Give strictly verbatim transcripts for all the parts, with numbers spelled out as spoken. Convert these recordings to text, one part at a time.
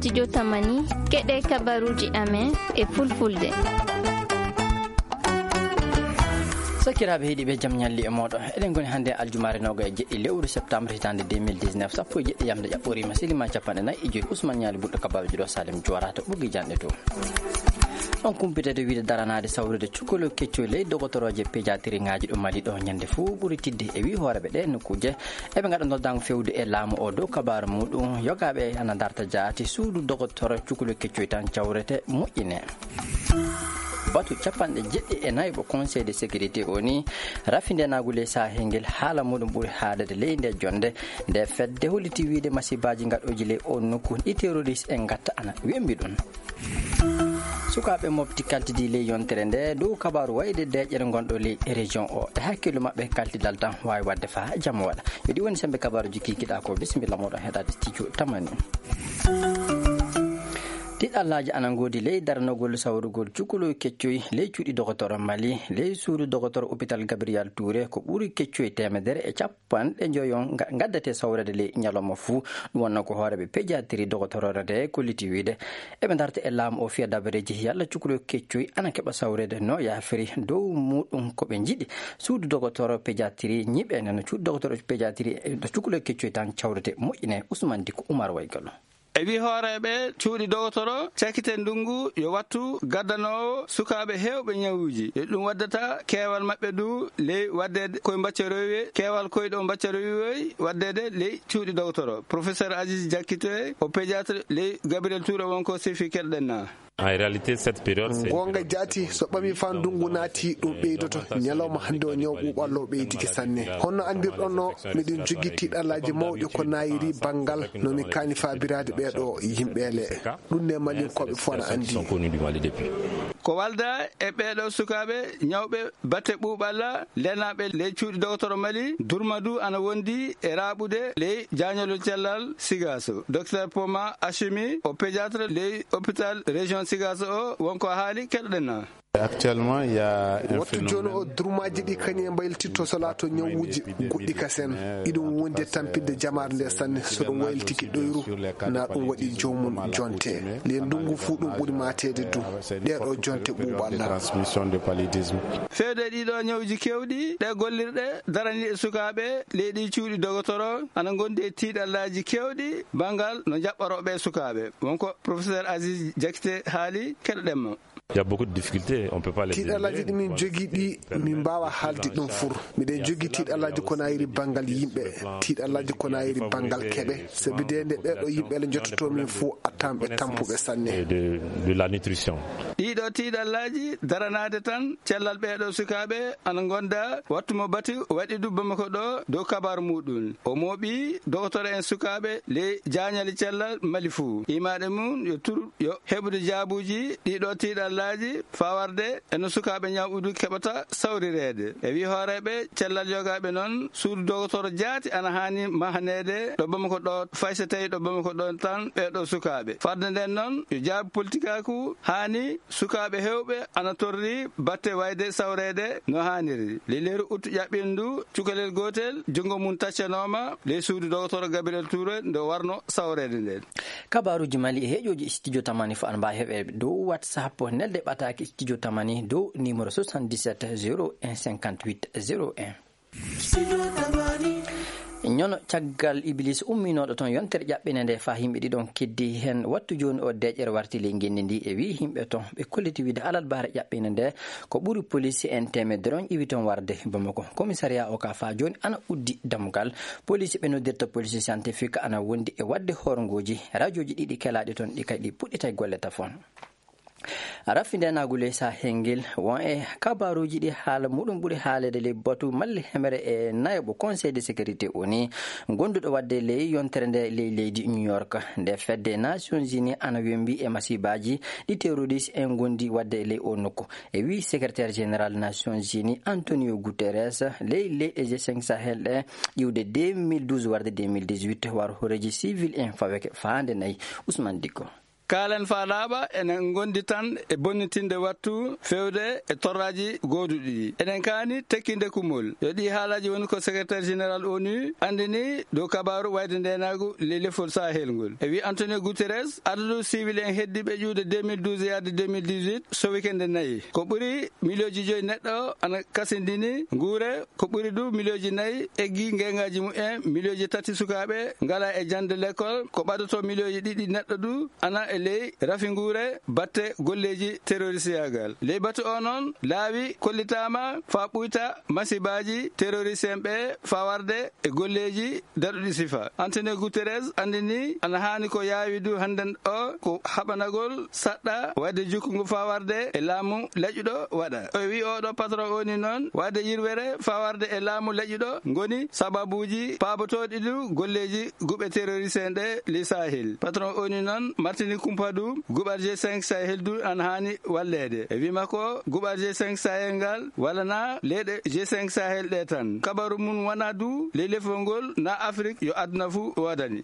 Studio Tamani, keɗe kabaruji amen e fulfulde. Sakiraaɓe heɗiiɓe, jam ñalli e mooɗon. Eɗen ngoni hannde aljumaare noga e jeɗɗi lewru septembre hitaande deux mille dix-neuf, sappo e jeɗɗi yamde ƴaɓɓoriima, silimaji capanɗe nayi e joyi, Ousmane Ñaali Ɓurɗo Kabaruji ɗo, Salim Juwara to ɓoggi janɗe to. On kumpitede wiide daranaade sawrude cukalel keccoy ley dogotorooje pédiatrie ŋaaji ɗo Mali ɗo ñande fof ɓuri tidde e wi hooreɓe ɗe nokkuuje. Eɓe ngaɗa noddaango fewde e laamu o dow kabaaru muɗum. Yogaaɓe ana darta jaati suudu dogotoro cukalel keccoy tan cawrete moƴƴine. Batu capanɗe jeɗɗi e nayi ɓo Conseil de sécurité o ni rafindenaagu ley sahel ngel haala muɗum ɓuri haadade ley nde jonde. Nde fedde holliti wiide masibaaji ngaɗooji ley o nokku ɗi terroriste en ngatta ana wembi ɗum. Sukaaɓe mofti kaltidi ley yontere nde dow kabaaru wayde deeƴere ngonɗo ley région o. E hakkillu maɓɓe kaltidal tan waawi waɗde faa jamma waɗa. Yo ɗi woni sembe kabaaruji kikiɗa ko. Bisimilla moɗon heɗade studio Tamani. Tiɗallaaji ana ngoodi ley daranogol sawrugol cukalel keccoy ley cuuɗi dogotoro Mali, ley suudu dogotoro hôpital Gabriel Touré ko ɓuri keccoy teemedere e capanɗe njoyo nga-, ngaddate sawrede ley ñalawma fuu. Ɗum wonno ko hooreeɓe pédiatrie dogotoroore nde kolliti wiide eɓe darta e laamu o fiya dabareeji yalla cukalel keccoy ana keɓa sawrede no yaafiri. Dow muɗum ko ɓe njiɗi suudu dogotoro pédiatrie ñiɓe nde no cuuɗi dogotoro pédiatrie e no cukalel keccoy tan cawrete moƴƴine. Ousmane Dicko, Oumar Waygallo. E wi hooreeɓe cuuɗi dogotoro, cakite ndungu yo wattu gaddanoowo sukaaɓe heewɓe ñawuuji. E ɗum waddata keewal maɓɓe du ley waɗde koye mbaccarowi, keewal koye ɗo mbaccarowi waɗdeede ley cuuɗi dogotoro. Professeur Aziz Diakité, o pédiatre ley Gabriel Touré, wonko sefi keɗɗen na. En réalité, cette période, c'est une Goonga période jaati, très so ɓami faa ndungu naati, ɗum ɓeydoto. Ñalawma hannde o, ñaw ɓuuɓallo ɓeydike sanne. Honno anndirɗon no, miɗen jogii tiiɗallaaji mawɗi ko naayiri banngal no mi kaani faabiraade ɓeeɗo yimɓe le. Ɗum ne Malinkooɓe fof ana anndi. Ko walda e ɓeeɗo sukaaɓe ñawɓe batte ɓuuɓalla, leenaaɓe ley cuuɗi dogotoro Mali, Durmadu ana wondi e raaɓude ley jaañolol cellal Sigaso. Docteur Poma Achimi, o pédiatre ley hôpital région Sigaso o, wonko haali keɗoɗen na. Actuellement, il y a un Wattu jooni o, phénomène durmaaji ɗi kañum e mbayliti to solaato ñawuuji goɗɗi kasen. Iɗum wondi e tampinde jamaare nde sanne, so ɗum waylitiki ɗoyru, na ɗum waɗi joomum jonte. Ley ndungu fuu ɗum ɓuri maateede du. Ɗee ɗo jonte ɓuuɓalla. Transmission de paludisme. Feewde ɗiɗo ñawuuji keewɗi, ɗe gollirɗe daraniiɗe sukaaɓe leydi cuuɗi dogotoro ana ngondi e tiiɗallaaji keewɗi banngal no njaɓɓorooɓe sukaaɓe. Wonko professeur Aziz Diakité haali, keɗoɗen mo. Il y a beaucoup de difficultés, on peut pas les Tiiɗallaaji énumérer. Ɗi min jogii ɗi, min mbaawa haalde ɗum fur. Miɗen jogii tiiɗallaaji ko nayiri banngal yimɓe, tiiɗallaaji ko nayiri banngal keɓe. Sabi de nde ɓeeɗo yimɓe le njottoto min fof, attan ɓe tampuɓe sanne. Et de, de la nutrition. Ɗiɗo tiiɗallaaji daranaade tan cellal ɓeeɗo sukaaɓe ana ngonda wattu mo bati waɗi du Bamako ɗo dow kabaaru muɗum. O mooɓi dogotoro en sukaaɓe ley jaañali cellal Mali fuu. Imaɗe mum yo tur yo heɓude jaabuuji ɗiɗo tiiɗallaaji faa warde e no sukaaɓe ñawuudu keɓata sawrireede. E wi hooreeɓe cellal yogaaɓe noon, suudu dogotoro jaati ana haani mahaneede ɗo Bamako ɗo, fay so tawi ɗo Bamako ɗo tan ɓeeɗo sukaaɓe. Fadde nden noon, yo jaabu politikaaku haani sukaaɓe heewɓe ana torri batte wayde sawreede no haaniri. Ley leeru ut ƴaɓɓindu, cukalel gootel, junngo mum taccanooma ley suudu dogotoro Gabriel Touré nde warno sawreede nden. Kabaaruuji Mali e heeƴooji Studio Tamani fof ana mbaawi heɓeede dow WhatsApp, nelde ɓataake Studio Tamani dow numéro soixante-dix-sept zéro un cinquante-huit zéro un. Ñono caggal Iblis umminooɗo toon yontere ƴaɓɓine nde faa yimɓe ɗiɗon keddi heen. Wattu jooni o deeƴere warti ley ngenndi ndi e wii yimɓe toon ɓe kolliti wiide alarbaare ƴaɓɓine nde ko ɓuri poliisi en teemedere on iwi toon warde Bamako. Komisariyaa o ka faa jooni ana uddi dammugal. Poliisi ɓe noddirta poliisi scientifique ana wondi e waɗde horngooji. Rajooji ɗiɗi kelaaɗi toon ɗi kadi puɗɗitay golle tafon. Rafi ndenaagu ley Sahel ngel won e kabaaruuji ɗi haala muɗum ɓuri haaleede ley batu malli hemere e nayaɓo Conseil de sécurité O N U, gonduɗo waɗde ley yontere nde ley leydi New York. Nde fedde Nations Unies ana wembi e masibaaji ɗi terroriste en gondi waɗde ley o nokku. E wi secrétaire général Nations Unies Antonio Guterres, ley leyɗe G cinq Sahel ɗe iwde deux mille douze warde deux mille dix-huit, war horeeji civil en faweke faande nayi. Ousmane Dicko. Kaalen faa laaɓa, enen ngondi tan e bonnitinde wattu feewde e torraaji gooduɗi ɗi. Eɗen kaani tekkinde kummol. Yo ɗii haalaaji woni ko secrétaire général onu anndini dow kabaaru wayde ndeenaagu ley lefol Sahel ngol. E wi Antonio Guterres, adadu siwil en heddiiɓe ƴuwde deux mille douze yaade deux mille dix-huit sowike nde nayi. Ko ɓuri miliyooji joyi neɗɗo ana kasindini nguure, ko ɓuri du miliyooji nayi eggi ngeengaaji mumen, miliyooji tati sukaaɓe ngala e jannde lekol, ko ɓadoto miliyooji ɗiɗi neɗɗo du ana e ley rafi nguure batte golleeji terroristiyaagal. Ley batu o noon, laawi kollitaama faa ɓuyta masibaaji terrorist en ɓe faa warde e golleeji daɗuɗi sifa. Antonio Guterres anndini ana haani ko yaawi du hannden o ko haɓanagol saɗɗa waɗde jukkungu faa warde e laamu laƴuɗo waɗa. O wi oɗo patron oni noon waɗde yirwere faa warde e laamu laƴuɗo ngoni sababuuji paabotooɗi du golleeji guɓe terrorist en ɗe ley Sahel. Patron oni noon martini kumpa du guɓal G cinq Sahel du ana haani walleede. E wi makko guɓal G cinq Sahel ngal walana leyɗe G cinq Sahel ɗe tan. Kabaru mum wona du ley lefol ngol na Afrik yo aduna fuu woodani.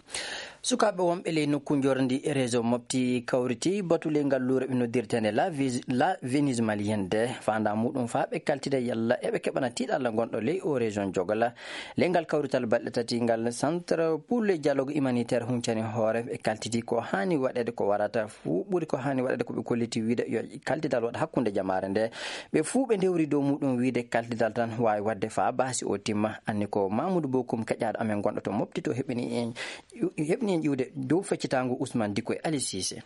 Sukaaɓe wonɓe ley nokku njorndi réseau Mopti kawriti batu ley ngal luure ɓe noddirteende La Vis-, La Venise Malienne de faandaa muɗum faa ɓe kaltida yalla eɓe keɓana tiiɗalla ngonɗo ley o région Jogala. Ley ngal kawrital balɗe tati ngal Centre pour le dialogue humanitaire huncani hoore ɓe kaltidi ko haani waɗeede ko warata fuu ɓuri ko haani waɗeede ko ɓe kolliti wiide yo kaltidal waɗ hakkunde jamaare nde. Ɓe fuu ɓe ndewri dow muɗum wiide kaltidal tan waawi waɗde faa baasi o timma. Anni ko Mamoudou Bokoum keƴaaɗo amen gonɗo to Mopti to heɓini en, heɓini en ƴiwde dow feccitaango Ousmane Dicko e Ali Cissé.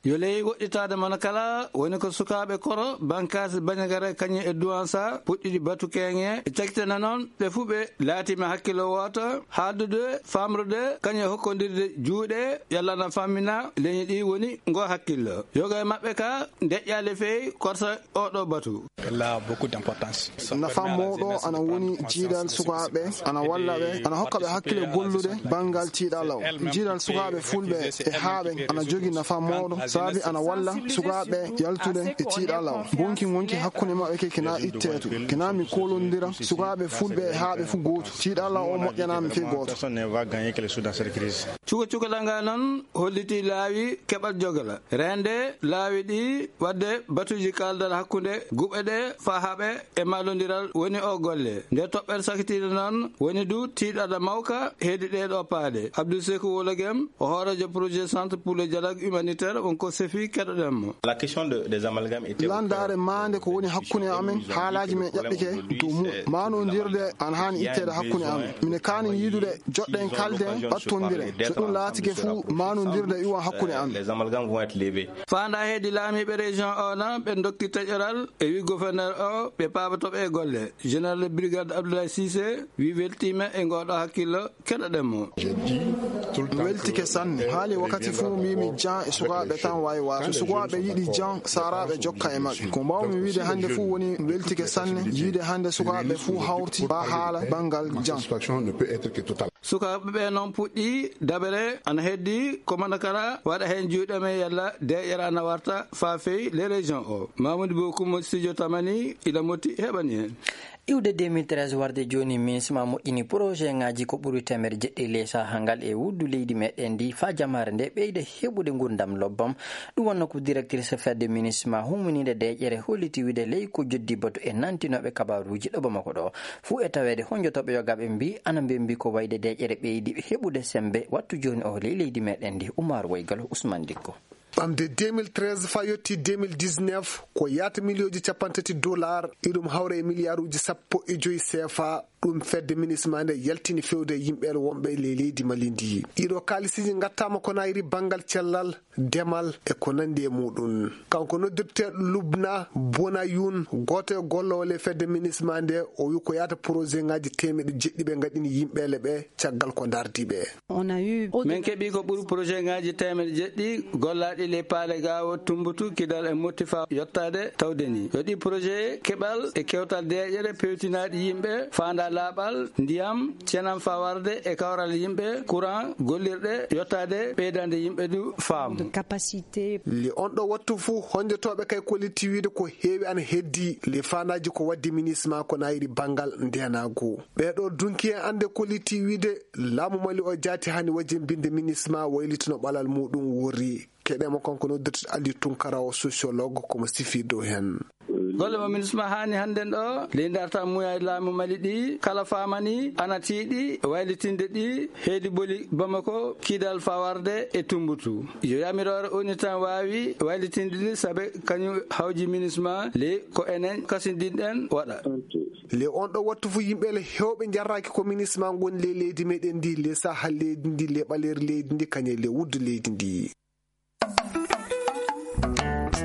Yo ley woɗɗitaade mona kala woni ko sukaaɓe Koro, Bankaasi, Bandiagara, kañum e Douentza puɗɗiɗi batu keeŋe e cakitana noon ɓe fuu ɓe laatiima hakkillo wooto haaldude, faamrude, kañum e hokkondirde juuɗe yalla na fammina leñi ɗi woni ngo hakkillo. Yoga e maɓɓe ka ndeƴƴaali fey korsa oɗo batu. Elle a beaucoup d'importance. Nafa mawɗo ana woni jiidal sukaaɓe, ana walla ɓe, ana hokka ɓe hakkille gollude banngal tiiɗalla o. Jiidal sukaaɓe fulɓe e haaɓe ana jogi nafa mawɗo, sabi ana walla sukaaɓe yaltude e tiiɗalla o. Bonki ngonki hakkunde maɓɓe ke kina itteetu. Kina mi kolondira sukaaɓe fulɓe e haaɓe fu gootu. Tiiɗalla o moƴƴanaami fey gooto. Personne ne va gagner quelque chose dans cette crise. Cuka cukalanga noon hollitii laawi keɓal jogala. Reende laawi ɗi waɗde batuuji kaaldal hakkunde guɓe ɗe faa haɓe e mallondiral woni o golle. Nde toɓɓere sakitiinde noon woni du tiiɗalla mawka heedi ɗee ɗoo paaɗe. Abdou Sekou Wologem, o hooreejo projet Centre pour le dialogue humanitaire, on ko sefi keɗoɗen mo. La question de, des amalgames était au cœur. Landaare maande ko woni hakkunde amen, haalaaji men ƴaɓɓike dow mum. Maanondirde ana haani itteede hakkunde amen. Mine kaani yiidude joɗɗen kalden ɓattondiren. So ɗum laatike fuu, maanondirde iwan hakkunde amen. Les amalgames vont être levés. Faandaa heedi laamiiɓe région o na ɓe ndokki taƴoral e wi gouverneur o ɓe paaboto ɓe e golle. Général de brigade Abdoulaye Cissé wi weltiima e ngooɗo hakkillo keɗoɗen mo. Weltike sanne. Haali wakkati fuu mbimi jan e sukaaɓe tan waawi waato. So sukaaɓe yiɗi jan, saaraaɓe jokka e maɓɓe. Ko mbaawmi wiide hannde fuu woni weltike sanne. Yiide hannde sukaaɓe fuu hawti baa haala banngal jan. Sukaaɓe ɓe noon puɗɗi daɓere ana heddi ko mana kala waɗa heen juuɗe men yalla deeƴere ana warta faa fey le région o. Mamoudou Bokoum mo studio Tamani ila motti heɓani heen. Iwde deux mille treize warde jooni, MINUSMA moƴƴini projet ŋaaji ko ɓuri teemedde jeɗɗi ley sahaa ngal e wuddu leydi meɗen ndi faa jamaare nde ɓeyda heɓude nguurndam lobbam. Ɗum wonno ko directrice fedde MINUSMA humminiinde deeƴere holliti wiide ley ko joddi batu e nantinooɓe kabaaruuji ɗo Bamako ɗo. Fuu e taweede honjotooɓe yogaaɓe mbi ana mbembi ko wayde deeƴere ɓeydi heɓude sembe wattu jooni o ley leydi meɗen ndi. Oumar Waygalo, Ousmane Dicko. Ɓamde deux mille treize faa yotti deux mille dix-neuf, ko yaata miliyooji cappanɗe tati dollar, iɗum hawra e miliyaaruuji sappo e joy C F A, ɗum fedde MINUSMA nde yaltini fewde yimɓe wonɓe ley leydi Mali ndi. Ɗiɗo kaalisiiji ngattaama ko nayri banngal cellal, demal e ko nanndi e muɗum. Kanko noddirteeɗo Lubna Bonayun, gooto e golloowo ley fedde MINUSMA nde, o wi ko yaata projet ŋaaji teemeɗɗe jeɗɗi ɓe ngaɗini yimɓeele ɓe caggal ko ndardi ɓe. On a eu min keɓi ko ɓuri projet ŋaaji teemeɗɗe jeɗɗi gollaaɗi ley paale Gaawo, Tumbutu, Kidal e Motti faa yottaade tawde ni. Yo ɗi projet keɓal e kewtal deeƴere pewtinaaɗi yimɓe faandaale Laaɓal, ndiyam, cenam fawarde e kawral yimɓe, courant, gollirɗe, yottaade, ɓeydaade yimɓe du faamu. Capacité. Le on ɗo wattu fuu honjotooɓe kay kollitti wiide ko heewi ana heddi le faandaaji ko waddi minisma ko nayiri banngal ndenaagu. Ɓeeɗo dunki en annde kollitti wiide laamu Mali o jaati hani wajin binde minisma waylitino ɓalal muɗum wori. Keɗe mo kanko noddirte Ali Tunkara o sociologue komo sifi dow hen. Golle mo minisma haani hannden ɗo, ley darta muyaji laamu Mali ɗi, kala faamani ana tiiɗi waylitinde ɗi, heedi boli Bamako, Kidal fawarde e Tumbutu. Yo yamiroore oni tan waawi waylitinde ɗi, sabe kañum hawji minisma, ley ko enen kasindinɗen waɗa. Le on ɗo wattu fu yimɓe le hewɓe jarraki ko minisma ngon le leydi meɗen ndi, le saha leydi ndi, le ɓaleri leydi ndi, kañe le wuddu leydi ndi.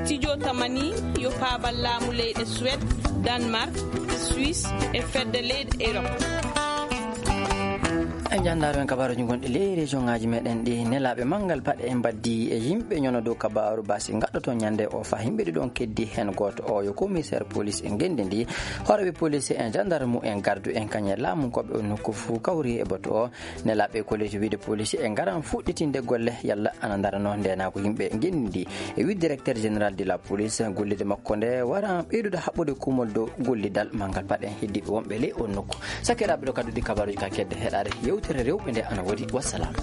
Studio Tamani yo paabal laamu leyɗe Suède, Danemark, Suisse e fedde leyɗe Europe. En janndaaro en kabaaruuji gonɗi ley région ŋaaji meɗen ɗi. Nelaaɓe manngal paɗe e mbaddi e yimɓe ñono dow kabaaru basi gaɗɗoto ñande o fa yimɓe ɗiɗon keddi hen gooto o yo commissaire police e ngenndi ndi, hooreɓe police en gendarme en gardu en kañe laamu koɓe o nokku fuu kawri e bato o. Nelaaɓe kollitti wiide police e ngaran fuɗɗitinde golle yalla ana ndarano ndenaagu yimɓe ngenndi ndi. E wi directeur général de la police, gollide makko nde wara ɓeydude haɓɓude kumol dow gollidal manngal paɗe heddiiɓe wonɓe ley on nokku. Sakiraaɓe ɗo kadduɗi kabaaruuji ka kedde heɗaade yewtere rewɓe nde ana wodi. Wassalam.